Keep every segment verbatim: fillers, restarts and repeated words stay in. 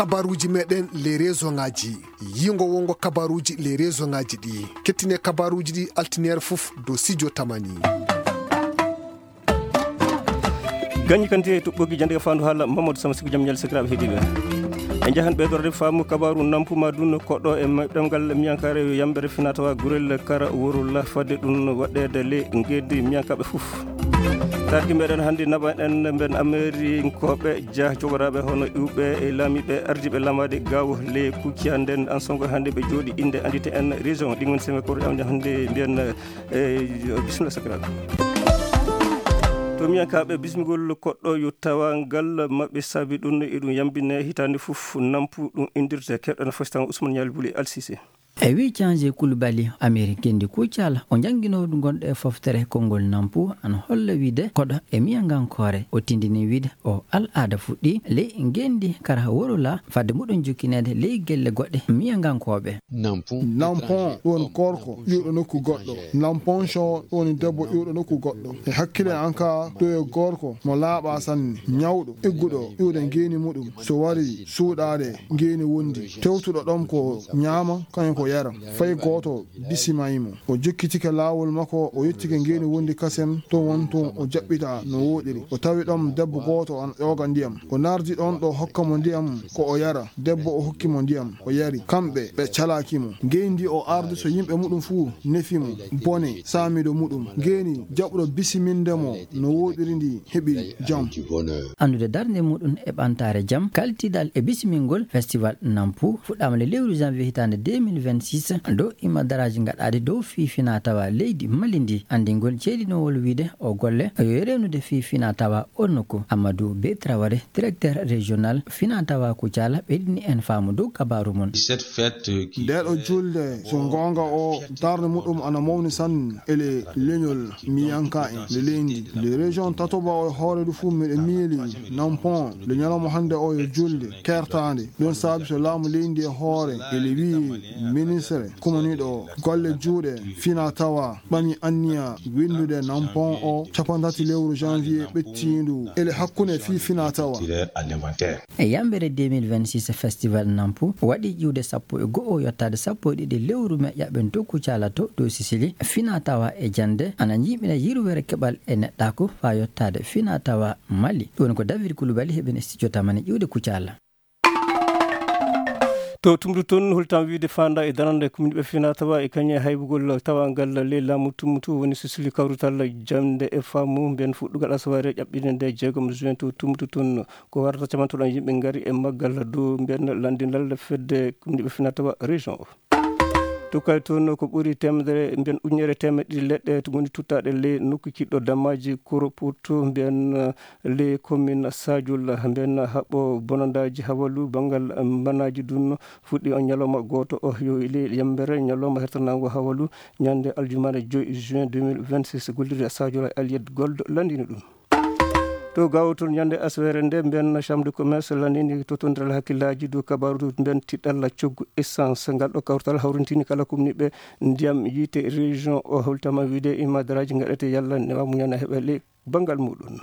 Kabaruuji meɗen les région ngaji, yingo wongo kabaruuji les région ngaji ɗi. Kettine kabaruuji ɗi altineer fof dow Sidio Tamani. Gañi kanti e toɓɓogi jannde ka faandu haala Mamadou Sama Siku, jam ñaali sakiraaɓe heɗiiɓe. En njahan ɓeydorde faamu kabaaru nampu ma dunno koɗɗo e ma-, ɗemngal miyankaare yo yambere finatawa gurel kara worula fadde ɗum waɗɗeede le ngendi miyankaaɓe fof. Tarki meɗen hannde naɓa en mben Amerinkooɓe jah jogoraɓe hono iwɓe e laamiɓe ardiɓe lamaade gaw le kucciya nden ansongo hannde ɓe jooɗi innde anndite en région ɗi ngoni seme koto yawde hannde mbiyen e bisimilla sakiraaɓe. To miyankaɓe bismigol koɗɗo yo tawa ngal maɓɓe saabi ɗum e ɗum yambine hitaande fof nampu ɗum indirte keɗɗo no fostan Ousmane Ñaali Buli Alsise. E wi Canje Kulubali, Amerik Gendi Kucala, o jannginooɗo gonɗo e foftere konngol nampu, ana holla wiide koɗo e miyangankoore. O tindini wiide o al'aada fuɗɗi ley Gendi kara worula fadde muɗum jokkineede ley gelle goɗɗe miyangankooɓe. Nampon, ɗum woni gorko iwɗo nokku goɗɗo. Nampon Cho, ɗum woni debbo iwɗo nokku goɗɗo. E hakkille an ka, ɗo e gorko mo laaɓa sanne, ñawɗo, igguɗo iwde ngeeni muɗum. So wari suuɗaade ngeeni wondi, tewtuɗo ɗom ko ñaama, kañum ko yara. Fay gooto bisimay mo. O jokkitike laawol makko, o yettike ngeeni wondi kasem, to won to o jaɓɓita no wooɗiri. O tawi ɗom debbo gooto ana ƴooga ndiyam. O nardi ɗon ɗo hokka mo ndiyam ko o yara. Debbo o hokki mo ndiyam, o yari. Kamɓe ɓe calaki mo. Ngeyndi o ardi so yimɓe muɗum fuu nefi mo. Bone saamido muɗum. Ngeeni jaɓuɗo bisiminde mo no wooɗiri ndi heɓi jam. Anndude darnde muɗum e ɓantaare jam, kaltidal e bisimingol festival Nampu fuɗɗaama le lewru janvier hitaande deux mille vingt-six. Dow imma daraaji gaɗaaɗi dow fii fina tawa leydi Mali ndi, anndingol ceedinowol wiide o golle yo rewnude fii fina tawa on nokku. Amadou Bey Traoré, directeur régional fina tawa Kucala, ɓeydini en faamu dow kabaaru mum. Cette fête, euh, qui Ndeɗo julde, so goonga o, darnde muɗum ana mawni sanne ele leñol miyanka en le leydi. Le région tatoba o e hoore du fuu miɗo miili Nampon, le ñalawma hannde o yo julde kertaande. Ɗum saabi so laamu leydi e hoore, ele wiyi ministre kumaniiɗo golle juuɗe fina tawa ɓami anniya winndude Nampon o cappanɗe tati lewru janvier ɓettiindu ele hakkunde fii fina tawa. E yambere deux mille vingt-six, festival Nampu waɗi ƴiwde sappo e go'o yottaade sappo e ɗiɗi lewru me ƴaɓɓen tokku calato dow Sicili. Fina tawa e jannde ana ñiiɓina yirwere keɓal e neɗɗaaku faa yottaade fina tawa Mali. Ɗum woni ko David Kulubali heɓen e studio Tamani ƴiwde Kucala. To Tumdu toon, holtam wiide faanda e darande kumniɓe fina tawa e kañe haybugol tawangal ley laamu Tummutu woni Sicili kawrutal jannde e faamu mben fuɗɗugal asawaare ƴaɓɓinde nde jeegom juin to Tummutu toon. Ko warata camantoɗon yimɓe ngari e maggal dow mben lanndinal fedde kumniɓe fina tawa région o. To kay toon ko ɓuri teemedere mbiyen ujunere teemeɗɗe ɗiɗi leɗɗe to ngoni tuttaaɗe ley nokku kiɗɗo dammaaji Kuroputu mbiyen, eh, ley commune Sajul mbiyen haɓɓo bonandaaji hawalu banngal, eh, mbanaaji ɗum fuɗɗi on ñalawma gooto o yo ley yambere ñalawma hertanaango hawalu ñande aljumaare joy juin deux mille vingt-six gollirde Sajul e Allied Gold lanndini ɗum. To Gaawo toon, ñande asaweere nde, mbiyen Chambre de Commerce lanndini totondiral hakkillaaji dow kabaaru mbiyen tiɗɗalla coggu essence. Ngal ɗo kawtal hawrintini kala kumniiɓe ndiyam yiite région o, holtama wiide imma daraaji ngaɗete yalla newa muñana heɓa le banngal muɗum.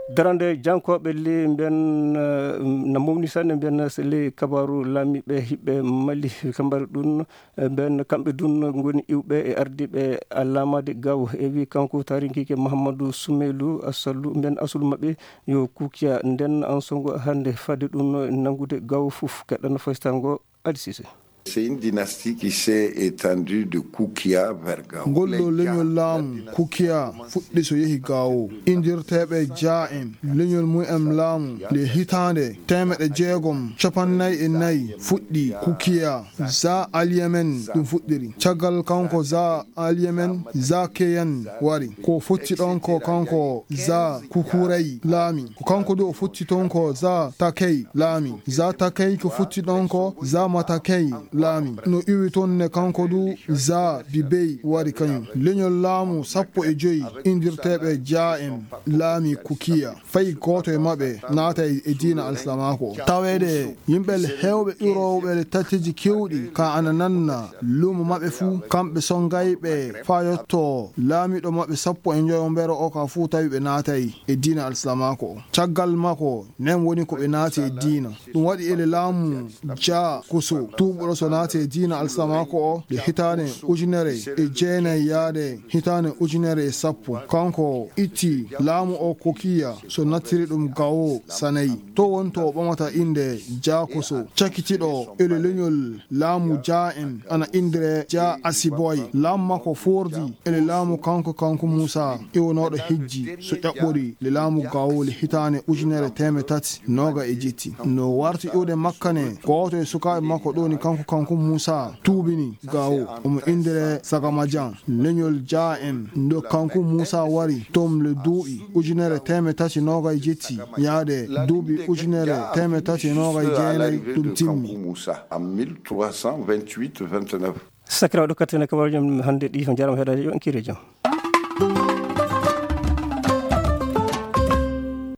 Darande jankooɓe le mbiyen, eh, na mawni sanne mbiyen se le kabaaru laamiiɓe hiɓɓe Mali kambari ɗum. E ɓen, kamɓe dun ngoni iwɓe e ardiiɓe alamaade gaw. E wi kanko taarikiike Mahammadu Sumeylu Asallu, ɓen asulu maɓɓe yo Kukiya. Nden ansongo hannde fade ɗun nanngude gaw fof. Keɗɗan faytango Adi Sise. C'est une dynastie qui s'est étendue de Kukia vers Gao. Ngol ɗo leñol laamu Kukia fuɗɗi so yehi Gao. Indirteeɓe Jaa en, leñol mum en laamu nde hitaande teemeɗe jeegom capannay e nayi fuɗɗi Kukia. Za Alyemen ɗum fuɗɗiri. Caggal kanko Za Alyemen, Za Keyan wari. Ko fotti ɗon ko kanko Za Kukuray laami. Ko kanko du o fotti ton ko Za Takey laami. Za Takey ko fotti ɗon ko Za Matakey laami. No iwi toon ne kanko du Za Bibey wari kañum. Leñol laamu sappo e joy indirteeɓe Jaa en laami Kukiya. Fay gooto e maɓɓe naata e, e diina alsilaamaaku o. Taweede yimɓe heewɓe iwrooɓe le tatteeji keewɗi ka ana nanna luumo maɓɓe fuu, kamɓe sonngayɓe faa yotto laamiiɗo maɓɓe sappo e njoyo mbero o ka fuu tawi ɓe naatay e diina alsilaamaaku o. Caggal makko nen woni ko ɓe naati e diina. Ɗum waɗi ele laamu Jaa Koso, tuubuɗo so naati e diina alsilaamaaku o nde hitaande ujunere e jeenay yaade hitaande ujunere e sappo. Kanko itti laamu o Kukiya so nattiri ɗum Gawo Sanayi. To won to o ɓamata innde Jaa Koso, cakitiiɗo ele leñol laamu Jaa en ana inndiree Jaa Asiboy. Laamu makko foordi ele laamu kanko, kanko Muusa iwonooɗo hijji so ƴaɓɓori le laamu Gawo le hitaande ujunere teemeɗɗe tati nooga e jetti. No warti iwde makka ne, gooto e sukaaɓe makko ɗo ni kanko, kanko Muusa tuubini Gawo. Omo inndiree Sagamajan. Leñol Jaa en ndo kanko Muusa wari toon le duuɓi ujunere teemeɗɗe tati nooga e jetti yaade duuɓi ujunere teemeɗɗe tati e nooga e jeenay ɗum timmi. Moussa en mille trois cent vingt-huit vingt-neuf. Sakiraaɗo kattene kabar jom hannde ɗi ko jaram heɗaade yo en kiire jam.